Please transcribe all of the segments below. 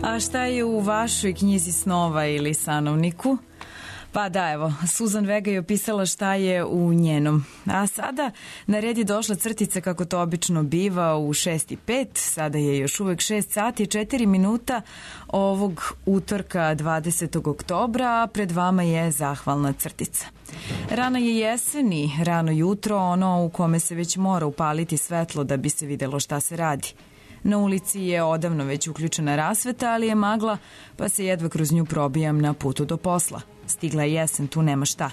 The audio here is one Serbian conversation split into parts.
A šta je u vašoj knjizi snova ili sanovniku? Pa da, evo, Suzan Vega je opisala šta je u njenom. A sada na red je došla crtica kako to obično biva u 6:05, sada je još uvek 6 sati i 4 minuta ovog utorka 20. oktobra, a pred vama je zahvalna crtica. Rano je jeseni, rano jutro, ono u kome se već mora upaliti svetlo da bi se videlo šta se radi. Na ulici je odavno već uključena rasveta, ali je magla, pa se jedva kroz nju probijam na putu do posla. Stigla je jesen, tu nema šta.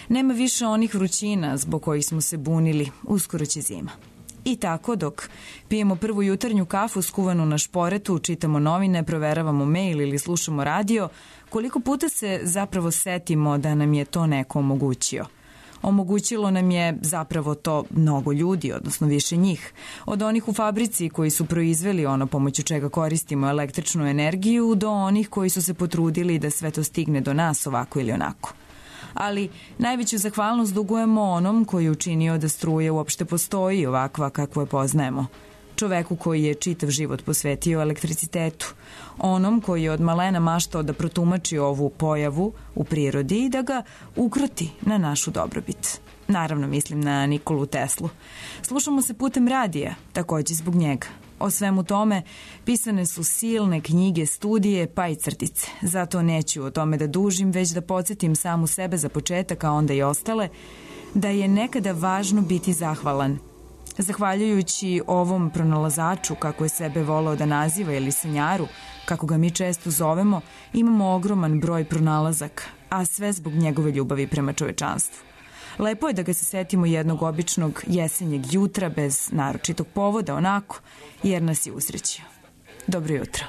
Nema više onih vrućina zbog kojih smo se bunili, uskoro će zima. I tako, dok pijemo prvu jutarnju kafu skuvanu na šporetu, čitamo novine, proveravamo mail ili slušamo radio, koliko puta se zapravo setimo da nam je to neko omogućio. Omogućilo nam je zapravo to mnogo ljudi, odnosno više njih. Od onih u fabrici koji su proizveli ono pomoću čega koristimo električnu energiju, do onih koji su se potrudili da sve to stigne do nas ovako ili onako. Ali najveću zahvalnost dugujemo onom koji je učinio da struja uopšte postoji ovakva kakvu je poznajemo. Čoveku koji je čitav život posvetio elektricitetu. Onom koji je od malena maštao da protumači ovu pojavu u prirodi i da ga ukroti na našu dobrobit. Naravno mislim na Nikolu Teslu. Slušamo se putem radija, takođe zbog njega. O svemu tome pisane su silne knjige, studije, pa i crtice. Zato neću o tome da dužim, već da podsjetim samu sebe za početak, a onda i ostale, da je nekada važno biti zahvalan. Zahvaljujući ovom pronalazaču, kako je sebe voleo da naziva, ili sanjaru, kako ga mi često zovemo, imamo ogroman broj pronalazaka, a sve zbog njegove ljubavi prema čovečanstvu. Lepo je da ga se setimo jednog običnog jesenjeg jutra bez naročitog povoda, onako, jer nas je usrećio. Dobro jutro.